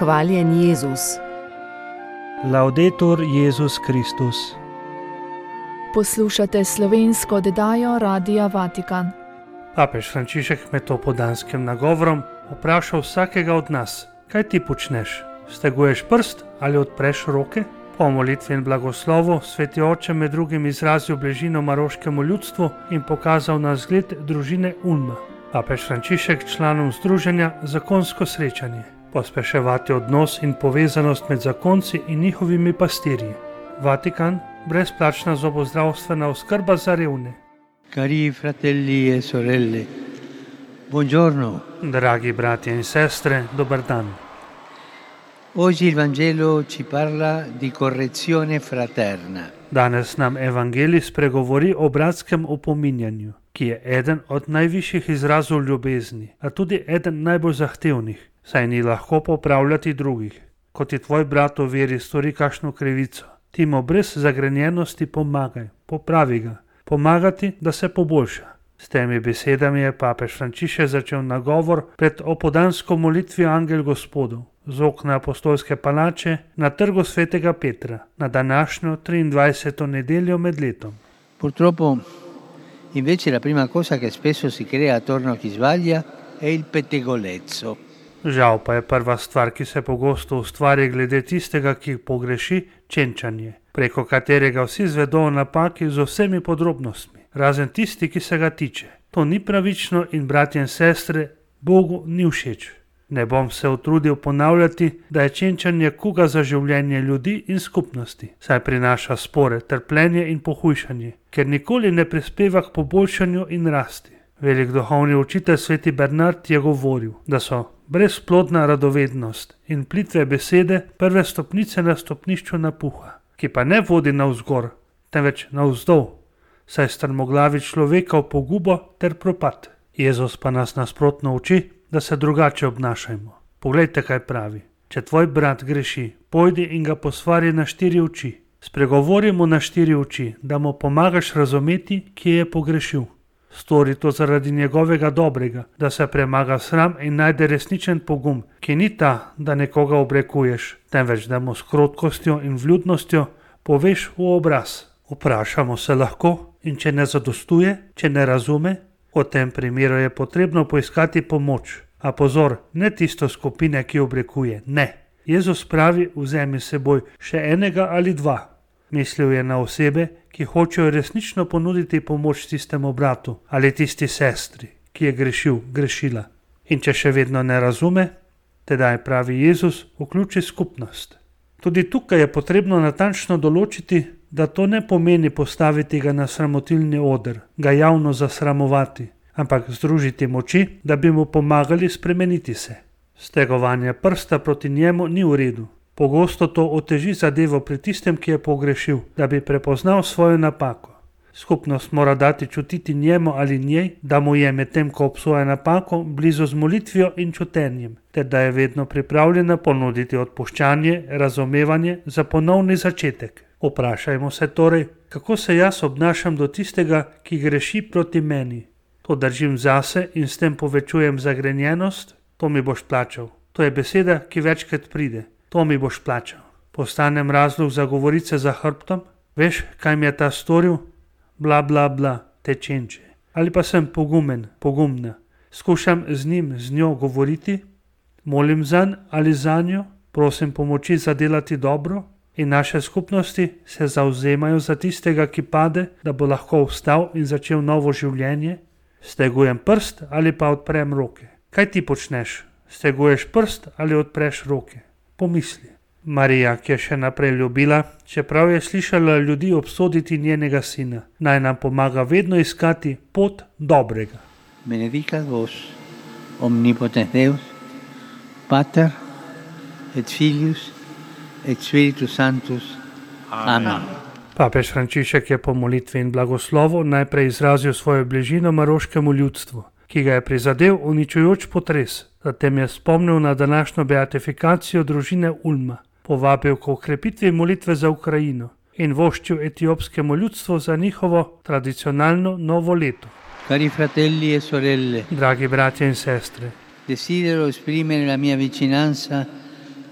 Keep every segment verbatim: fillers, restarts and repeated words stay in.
Hvaljen Jezus. Laudetur Jezus Kristus. Poslušate slovensko oddajo Radia Vatikan. Papež Frančišek med opoldanskim nagovorom vprašal vsakega od nas: kaj ti počneš? Steguješ prst ali odpreš roke? Po molitvi in blagoslovu sveti oče med drugim izrazil bližino maroškemu ljudstvu in pokazal na zgled družine Ulma. Papež Frančišek članom združenja Zakonsko srečanje pospeševati odnos in povezanost med zakonci in njihovimi pastirji. Vatikan, brezplačna zobozdravstvena oskrba za revne. Cari fratelli e sorelle, buongiorno. Dragi bratje in sestre, dober dan. Oggi il Vangelo ci parla di correzione fraterna. Danes nam evangelij spregovori o bratskem opominjanju, ki je eden od najvišjih izrazov ljubezni, a tudi eden najbolj zahtevnih, saj ni lahko popravljati drugih. Ko ti tvoj brat v veri stori kakšno krivico, ti mu brez zagrenjenosti pomagaj, popravi ga, pomagati, da se poboljša. S temi besedami je papež Frančišek začel nagovor pred opoldansko molitvijo Angel Gospodov z okna apostolske palače na trgu svetega Petra na današnjo triindvajseto nedeljo med letom. Purtroppo, invece, la prima cosa che spesso si crea attorno a chi sbaglia è il pettegolezzo. Žal pa je prva stvar, ki se pogosto ustvari glede tistega, ki pogreši, čenčanje, preko katerega vsi zvedo o napaki z vsemi podrobnostmi, razen tisti, ki se ga tiče. To ni pravično in bratje in sestre, Bogu ni všeč. Ne bom se utrudil ponavljati, da je čenčanje kuga za življenje ljudi in skupnosti, saj prinaša spore, trpljenje in pohujšanje, ker nikoli ne prispeva k poboljšanju in rasti. Velik duhovni učitelj sveti Bernard je govoril, da so brezplodna radovednost in plitve besede prve stopnice na stopnišču napuha, ki pa ne vodi navzgor, temveč navzdol, saj strmoglavi človeka v pogubo ter propad. Jezus pa nas nasprotno uči, da se drugače obnašajmo. Poglejte, kaj pravi. Če tvoj brat greši, pojdi in ga posvari na štiri oči. Spregovori mu na štiri oči, da mu pomagaš razumeti, kje je pogrešil. Stori to zaradi njegovega dobrega, da se premaga sram in najde resničen pogum, ki ni ta, da nekoga obrekuješ, temveč da mu s krotkostjo in vljudnostjo poveš v obraz. Vprašamo se lahko, in če ne zadostuje, če ne razume, v tem primeru je potrebno poiskati pomoč. A pozor, ne tisto skupine, ki obrekuje, ne. Jezus pravi, vzemi s seboj še enega ali dva. Mislil je na osebe, ki hočejo resnično ponuditi pomoč tistemu bratu ali tisti sestri, ki je grešil, grešila. In če še vedno ne razume, tedaj pravi Jezus, vključi skupnost. Tudi tukaj je potrebno natančno določiti, da to ne pomeni postaviti ga na sramotilni oder, ga javno zasramovati, ampak združiti moči, da bi mu pomagali spremeniti se. Stegovanje prsta proti njemu ni v redu. Pogosto to oteži zadevo pri tistem, ki je pogrešil, da bi prepoznal svojo napako. Skupnost mora dati čutiti njemu ali njej, da mu je medtem, ko obsoja napako, blizu z molitvijo in čutenjem, ter da je vedno pripravljena ponuditi odpuščanje, razumevanje za ponovni začetek. Vprašajmo se torej, kako se jaz obnašam do tistega, ki greši proti meni. To držim zase in s tem povečujem zagrenjenost, to mi boš plačal. To je beseda, ki večkrat pride. To mi boš plačal. Postanem razlog za govorice za hrbtom? Veš, kaj mi je ta storil? Bla, bla, bla, te čenče. Ali pa sem pogumen, pogumna. Skušam z njim, z njo govoriti? Molim zanj ali za njo? Prosim pomoči za delati dobro? In naše skupnosti se zavzemajo za tistega, ki pade, da bo lahko vstal in začel novo življenje? Stegujem prst ali pa odprem roke? Kaj ti počneš? Steguješ prst ali odpreš roke? Pomisli. Marija, ki je še naprej ljubila, čeprav je slišala ljudi obsoditi njenega sina, naj nam pomaga vedno iskati pot dobrega. Benedicat vos, omnipotens Deus, Pater et Filius et Spiritus Sanctus. Amen. Papež Frančišek je po molitvi in blagoslovu najprej izrazil svojo bližino maroškemu ljudstvu, ki ga je prizadel uničujoč potres. Zatem je spomnil na današnjo beatifikacijo družine Ulma, povabil k okrepitvi molitve za Ukrajino in voščil etiopskemu ljudstvu za njihovo tradicionalno novo leto. Cari fratelli e sorelle, Dragi bratje in sestre, desidero esprimere la mia vicinanza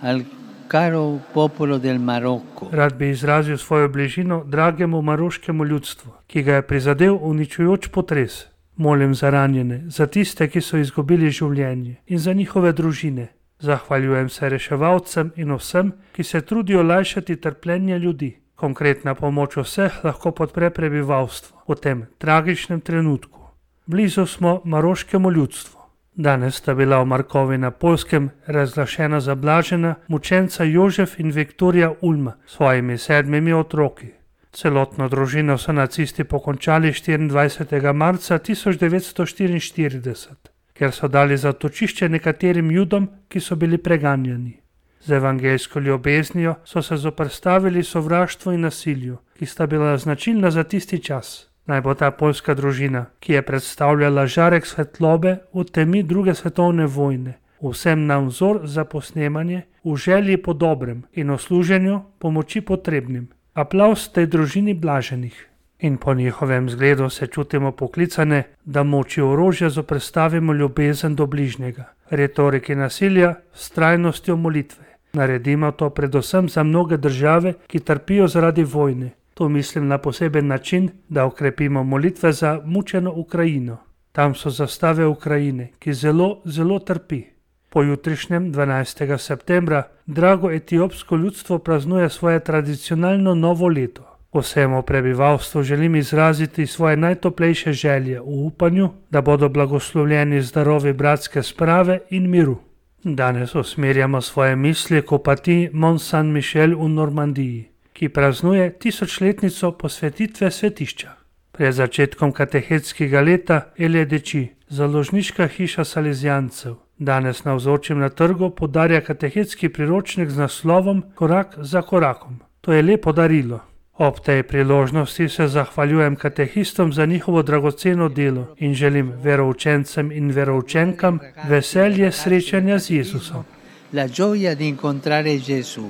al caro popolo del Marocco. Rad bi izrazil svojo bližino dragemu maroškemu ljudstvu, ki ga je prizadel uničujoč potres. Molim za ranjene, za tiste, ki so izgubili življenje in za njihove družine. Zahvaljujem se reševalcem in vsem, ki se trudijo lajšati trpljenje ljudi. Konkretna pomoč vseh lahko podpre prebivalstvo v tem tragičnem trenutku. Blizu smo maroškemu ljudstvu. Danes sta bila v Markovi na Poljskem razglašena za blažena mučenca Jožef in Viktorija Ulma s svojimi sedmimi otroki. Celotno družino so nacisti pokončali štiriindvajsetega marca tisoč devetsto štiriinštirideset, ker so dali zatočišče nekaterim Judom, ki so bili preganjani. Z evangeljsko ljubeznijo so se zoperstavili sovraštvu in nasilju, ki sta bila značilna za tisti čas. Naj bo ta poljska družina, ki je predstavljala žarek svetlobe v temi druge svetovne vojne, vsem nam vzor za posnemanje, v želji po dobrem in v služenju pomoči potrebnim. Aplavz tej družini blaženih. In po njihovem zgledu se čutimo poklicane, da moči orožja zoperstavimo ljubezen do bližnjega, retoriki nasilja, vztrajnostjo molitve. Naredimo to predvsem za mnoge države, ki trpijo zaradi vojne. To mislim na poseben način, da okrepimo molitve za mučeno Ukrajino. Tam so zastave Ukrajine, ki zelo, zelo trpi. Po jutrišnjem, dvanajstega septembra, drago etiopsko ljudstvo praznuje svoje tradicionalno novo leto. Vsemu prebivalstvu želim izraziti svoje najtoplejše želje v upanju, da bodo blagoslovljeni zdarovi bratske sprave in miru. Danes usmerjamo svoje misli k opatiji Mont Saint-Michel v Normandiji, ki praznuje tisočletnico posvetitve svetišča. Pred začetkom katehetskega leta Elje Deči, založniška hiša Salezijancev, danes navzočim na trgu podarja katehetski priročnik z naslovom Korak za korakom. To je lepo darilo. Ob tej priložnosti se zahvaljujem katehistom za njihovo dragoceno delo in želim veroučencem in veroučenkam veselje srečanja z Jezusom. La gioia di incontrare Gesù.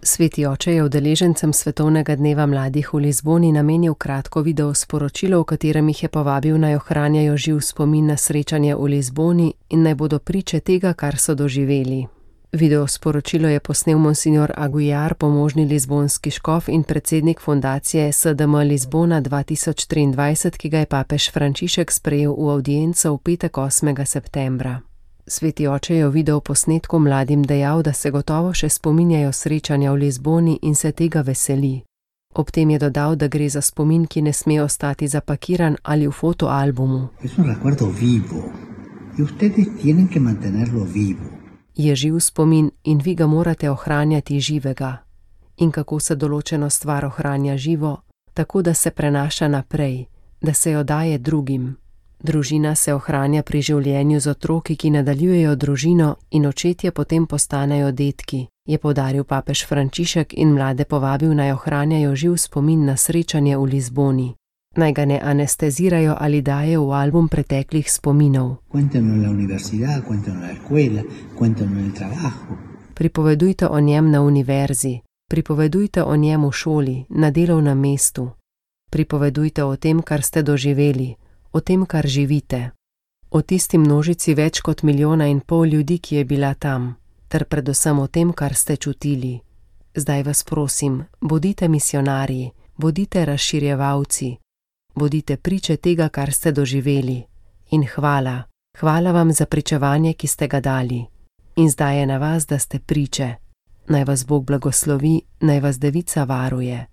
Sveti oče je udeležencem Svetovnega dneva mladih v Lizboni namenil kratko video sporočilo, v katerem jih je povabil naj ohranjajo živ spomin na srečanje v Lizboni in naj bodo priče tega, kar so doživeli. Video sporočilo je posnel monsignor Aguiar, pomožni lizbonski škof in predsednik fundacije S D M Lizbona dva tisoč triindvajset, ki ga je papež Frančišek sprejel v avdienco v petek osmega septembra. Sveti oče je v video posnetku mladim dejal, da se gotovo še spominjajo srečanja v Lizboni in se tega veseli. Ob tem je dodal, da gre za spomin, ki ne sme ostati zapakiran ali v fotoalbumu. Je živ spomin in vi ga morate ohranjati živega. In kako se določeno stvar ohranja živo? Tako, da se prenaša naprej, da se jo daje drugim. Družina se ohranja pri življenju z otroki, ki nadaljujejo družino in očetje potem postanejo detki, je poudaril papež Frančišek in mlade povabil naj ohranjajo živ spomin na srečanje v Lizboni. Naj ga ne anestezirajo ali daje v album preteklih spominov. Pripovedujte o njem na univerzi, pripovedujte o njem v šoli, na delovnem mestu. Pripovedujte o tem, kar ste doživeli, o tem, kar živite. O tisti množici več kot milijona in pol ljudi, ki je bila tam, ter predvsem o tem, kar ste čutili. Zdaj vas prosim, bodite misionarji, bodite razširjevalci. Bodite priče tega, kar ste doživeli. In hvala, hvala vam za pričevanje, ki ste ga dali. In zdaj je na vas, da ste priče. Naj vas Bog blagoslovi, naj vas Devica varuje.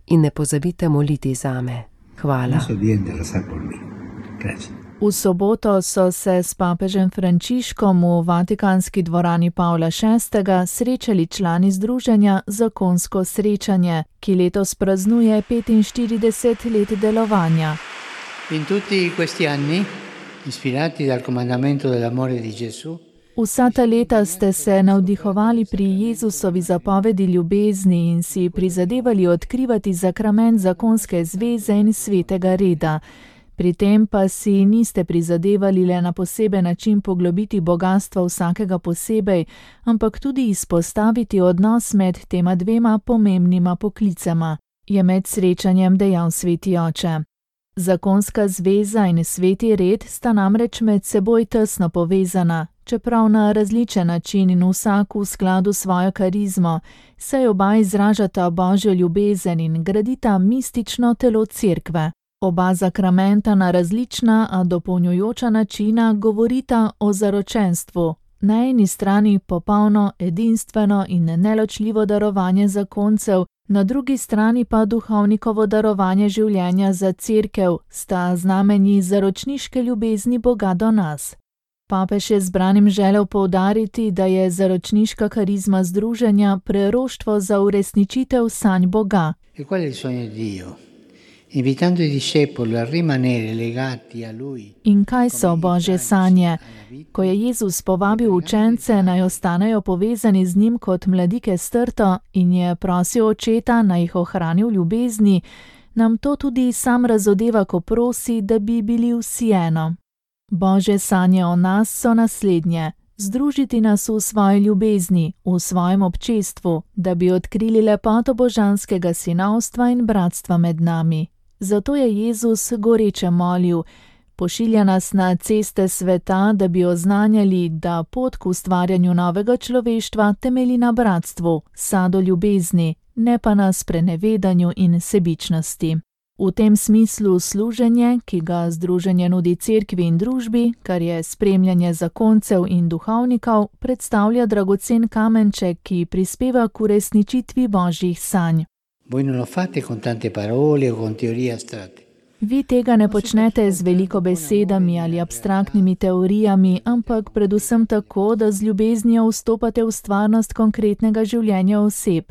In ne pozabite moliti zame. Hvala. V soboto so se s papežem Frančiškom v Vatikanski dvorani Pavla šestega srečali člani združenja Zakonsko srečanje, ki letos praznuje petinštirideset let delovanja. In tutti questi anni, ispirati dal comandamento dell'amore di Gesù, Vsa ta leta ste se navdihovali pri Jezusovi zapovedi ljubezni in si prizadevali odkrivati zakrament zakonske zveze in svetega reda. Pri tem pa si niste prizadevali le na poseben način poglobiti bogatstva vsakega posebej, ampak tudi izpostaviti odnos med tema dvema pomembnima poklicama, je med srečanjem dejal sveti oče. Zakonska zveza in sveti red sta namreč med seboj tesno povezana, čeprav na različen način in vsak v skladu s svojo karizmo, saj oba izražata božjo ljubezen in gradita mistično telo cerkve. Oba zakramenta na različna, a dopolnjujoča načina govorita o zaročenstvu. Na eni strani popolno, edinstveno in neločljivo darovanje zakoncev, na drugi strani pa duhovnikovo darovanje življenja za cerkev, sta znamenji zaročniške ljubezni Boga do nas. Papež je zbranim želel poudariti, da je zaročniška karizma združenja preroštvo za uresničitev sanj Boga. E qual è il sogno di Dio? Invitando i discepoli a rimanere legati a lui. In kaj so božje sanje? Ko je Jezus povabil učence, naj ostanejo povezani z njim kot mladike s trto in je prosil očeta, naj jih ohrani v ljubezni, nam to tudi sam razodeva, ko prosi, da bi bili vsi eno. Božje sanje o nas so naslednje: združiti nas v svoji ljubezni, v svojem občestvu, da bi odkrili lepoto božanskega sinovstva in bratstva med nami. Zato je Jezus goreče molil: pošilja nas na ceste sveta, da bi oznanjali, da pot k ustvarjanju novega človeštva temelji na bratstvu, sadu ljubezni, ne pa na sprenevedanju in sebičnosti. V tem smislu služenje, ki ga združenje nudi cerkvi in družbi, kar je spremljanje zakoncev in duhovnikov, predstavlja dragocen kamenček, ki prispeva k uresničitvi božjih sanj. Voi non lo fate con tante parole o con teorie astratte. Vi tega ne počnete z veliko besedami ali abstraktnimi teorijami, ampak predvsem tako, da z ljubeznijo vstopate v stvarnost konkretnega življenja oseb.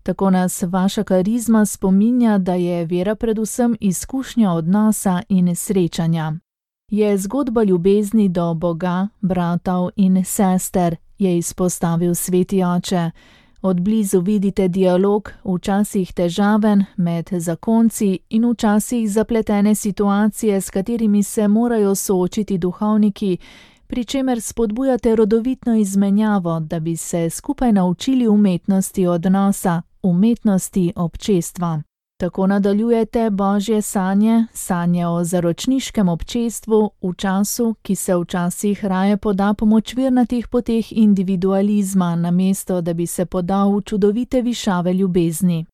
Tako nas vaša karizma spominja, da je vera predvsem izkušnja odnosa in srečanja. Je zgodba ljubezni do Boga, bratov in sester, je izpostavil sveti oče. Od blizu vidite dialog, včasih težaven, med zakonci in včasih zapletene situacije, s katerimi se morajo soočiti duhovniki, pri čemer spodbujate rodovitno izmenjavo, da bi se skupaj naučili umetnosti odnosa, umetnosti občestva. Tako nadaljujete božje sanje, sanje o zaročniškem občestvu v času, ki se včasih raje poda po močvirnatih poteh individualizma, namesto da bi se podal v čudovite višave ljubezni.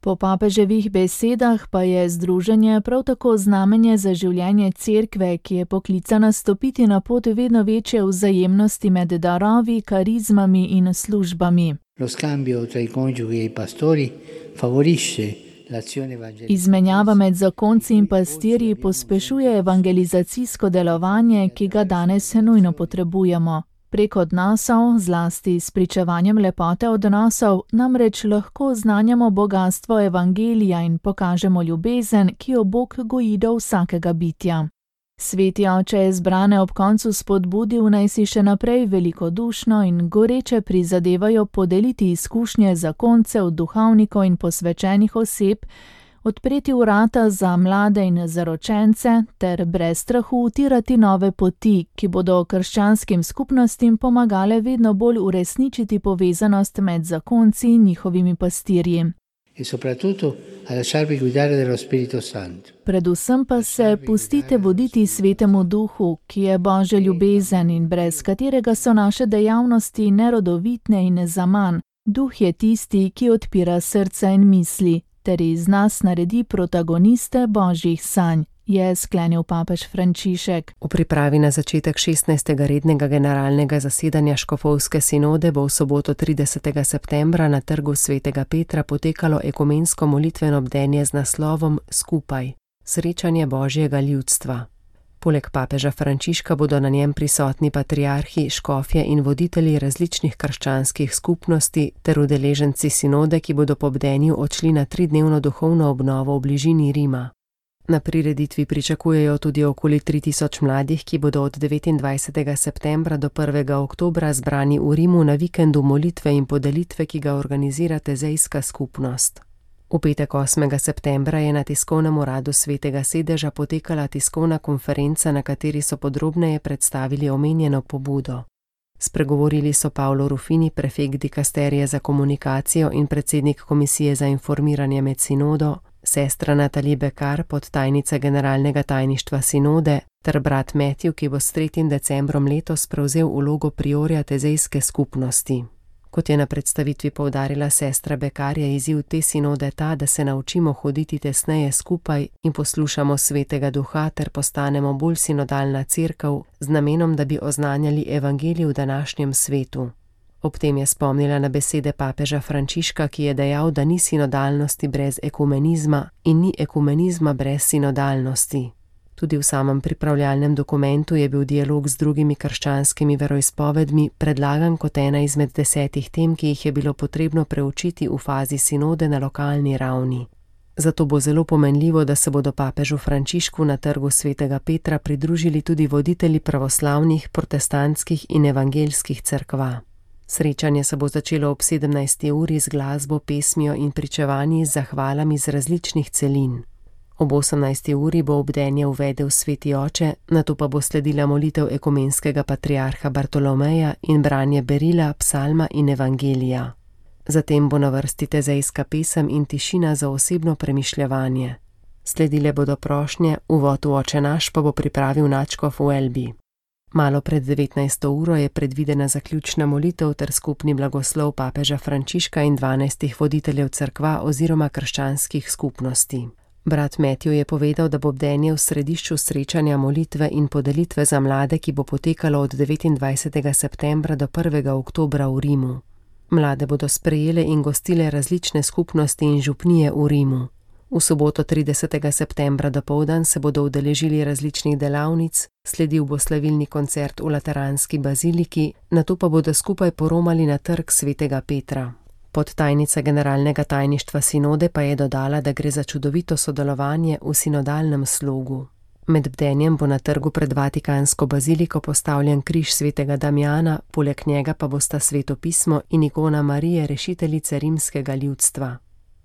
Po papeževih besedah pa je združenje prav tako znamenje za življenje cerkve, ki je poklicana stopiti na pot vedno večje vzajemnosti med darovi, karizmami in službami. Lo scambio tra i coniugi e i pastori favorisce. Izmenjava med zakonci in pastirji pospešuje evangelizacijsko delovanje, ki ga danes nujno potrebujemo. Prek odnosov, zlasti s pričevanjem lepote odnosov, namreč lahko oznanjamo bogastvo evangelija in pokažemo ljubezen, ki jo Bog goji do vsakega bitja. Sveti oče je zbrane ob koncu spodbudil, naj si še naprej velikodušno in goreče prizadevajo podeliti izkušnje zakoncev, duhovnikov in posvečenih oseb, odpreti vrata za mlade in zaročence ter brez strahu utirati nove poti, ki bodo krščanskim skupnostim pomagale vedno bolj uresničiti povezanost med zakonci in njihovimi pastirji. E soprattutto a lasciarvi guidare dallo Spirito Santo. Predvsem pa se pustite voditi Svetemu Duhu, ki je božja ljubezen in brez katerega so naše dejavnosti nerodovitne in zaman. Duh je tisti, ki odpira srca in misli, ter iz nas naredi protagoniste božjih sanj, je sklenil papež Frančišek. V pripravi na začetek šestnajstega rednega generalnega zasedanja škofovske sinode bo v soboto tridesetega septembra na trgu svetega Petra potekalo ekumensko molitveno bdenje z naslovom Skupaj, srečanje božjega ljudstva. Poleg papeža Frančiška bodo na njem prisotni patriarhi, škofje in voditelji različnih krščanskih skupnosti ter udeleženci sinode, ki bodo po bdenju odšli na tridnevno duhovno obnovo v bližini Rima. Na prireditvi pričakujejo tudi okoli tri tisoč mladih, ki bodo od devetindvajsetega septembra do prvega oktobra zbrani v Rimu na vikendu molitve in podelitve, ki ga organizira Tezejska skupnost. V petek osmega septembra je na tiskovnem uradu Svetega sedeža potekala tiskovna konferenca, na kateri so podrobneje predstavili omenjeno pobudo. Spregovorili so Paolo Rufini, prefekt dikasterije za komunikacijo in predsednik komisije za informiranje med sinodo, Sestra Natalie Bekar, podtajnica generalnega tajništva sinode, ter brat Matthew, ki bo s tretjim decembrom letos prevzel vlogo priorja tezejske skupnosti. Kot je na predstavitvi poudarila sestra Bekar, je izziv te sinode ta, da se naučimo hoditi tesneje skupaj in poslušamo Svetega Duha ter postanemo bolj sinodalna cerkev z namenom, da bi oznanjali evangelij v današnjem svetu. Ob tem je spomnila na besede papeža Frančiška, ki je dejal, da ni sinodalnosti brez ekumenizma in ni ekumenizma brez sinodalnosti. Tudi v samem pripravljalnem dokumentu je bil dialog z drugimi krščanskimi veroizpovedmi predlagan kot ena izmed desetih tem, ki jih je bilo potrebno preučiti v fazi sinode na lokalni ravni. Zato bo zelo pomenljivo, da se bodo papežu Frančišku na trgu Svetega Petra pridružili tudi voditelji pravoslavnih, protestantskih in evangeljskih cerkva. Srečanje se bo začelo ob sedemnajsti uri z glasbo, pesmijo in pričevanji z zahvalami z različnih celin. Ob osemnajsti uri bo obdenje uvedel Sveti Oče, nato pa bo sledila molitev ekumenskega patriarha Bartolomeja in branje berila, psalma in evangelija. Zatem bo na vrsti tezejska pesem in tišina za osebno premišljevanje. Sledile bodo prošnje, uvod v Oče naš pa bo pripravil nadškof v Elbi. Malo pred devetnajsto uro je predvidena zaključna molitev ter skupni blagoslov papeža Frančiška in dvanajstih voditeljev cerkva oziroma krščanskih skupnosti. Brat Matthew je povedal, da bo bdenje v središču srečanja molitve in podelitve za mlade, ki bo potekalo od devetindvajsetega septembra do prvega oktobra v Rimu. Mlade bodo sprejele in gostile različne skupnosti in župnije v Rimu. V soboto tridesetega septembra dopoldan se bodo udeležili različnih delavnic, sledil bo slavilni koncert v Lateranski baziliki, nato pa bodo skupaj poromali na trg Svetega Petra. Podtajnica generalnega tajništva sinode pa je dodala, da gre za čudovito sodelovanje v sinodalnem slogu. Med bdenjem bo na trgu pred Vatikansko baziliko postavljen križ Svetega Damjana, poleg njega pa bosta Sveto pismo in ikona Marije, rešiteljice rimskega ljudstva.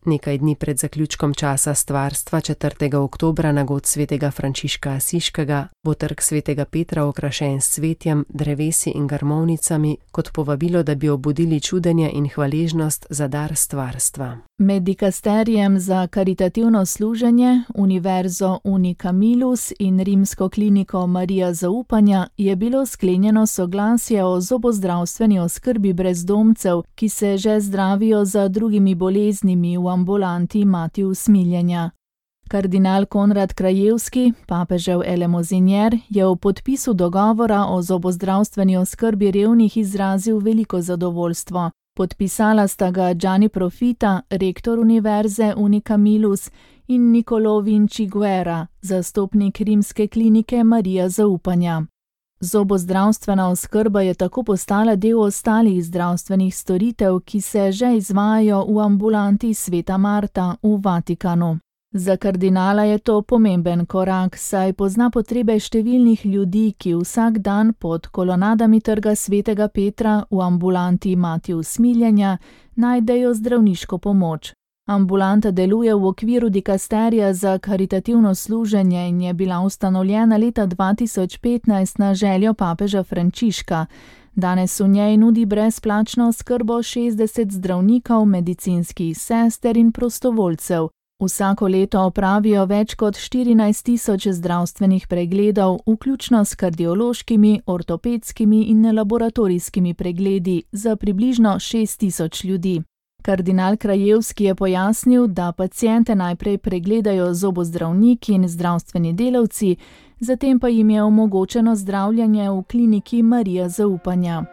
Nekaj dni pred zaključkom časa stvarstva četrtega oktobra na god Svetega Frančiška Asiškega bo trg Svetega Petra okrašen s cvetjem, drevesi in grmovnicami kot povabilo, da bi obudili čudenje in hvaležnost za dar stvarstva. Med dikasterijem za karitativno služenje, Univerzo Unicamilus in rimsko kliniko Marija zaupanja je bilo sklenjeno soglasje o zobozdravstveni oskrbi brezdomcev, ki se že zdravijo za drugimi boleznimi v ambulanti Mati usmiljenja. Kardinal Konrad Krajevski, papežev elemozinjer, je v podpisu dogovora o zobozdravstveni oskrbi revnih izrazil veliko zadovoljstvo. Podpisala sta ga Gianni Profita, rektor Univerze Unicamilus, in Niccolò Vinci Guerra, zastopnik rimske klinike Marija zaupanja. Zobozdravstvena oskrba je tako postala del ostalih zdravstvenih storitev, ki se že izvajajo v ambulanti Sveta Marta v Vatikanu. Za kardinala je to pomemben korak, saj pozna potrebe številnih ljudi, ki vsak dan pod kolonadami trga Svetega Petra v ambulanti Mati usmiljenja najdejo zdravniško pomoč. Ambulanta deluje v okviru dikasterija za karitativno služenje in je bila ustanovljena leta dva tisoč petnajst na željo papeža Frančiška. Danes v njej nudi brezplačno oskrbo šestdeset zdravnikov, medicinskih sester in prostovoljcev. Vsako leto opravijo več kot štirinajst tisoč zdravstvenih pregledov, vključno s kardiološkimi, ortopedskimi in laboratorijskimi pregledi za približno šest tisoč ljudi. Kardinal Krajevski je pojasnil, da paciente najprej pregledajo zobozdravniki in zdravstveni delavci, zatem pa jim je omogočeno zdravljenje v kliniki Marija zaupanja.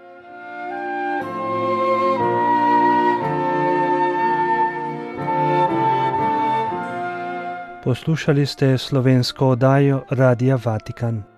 Poslušali ste slovensko oddajo Radia Vatikan.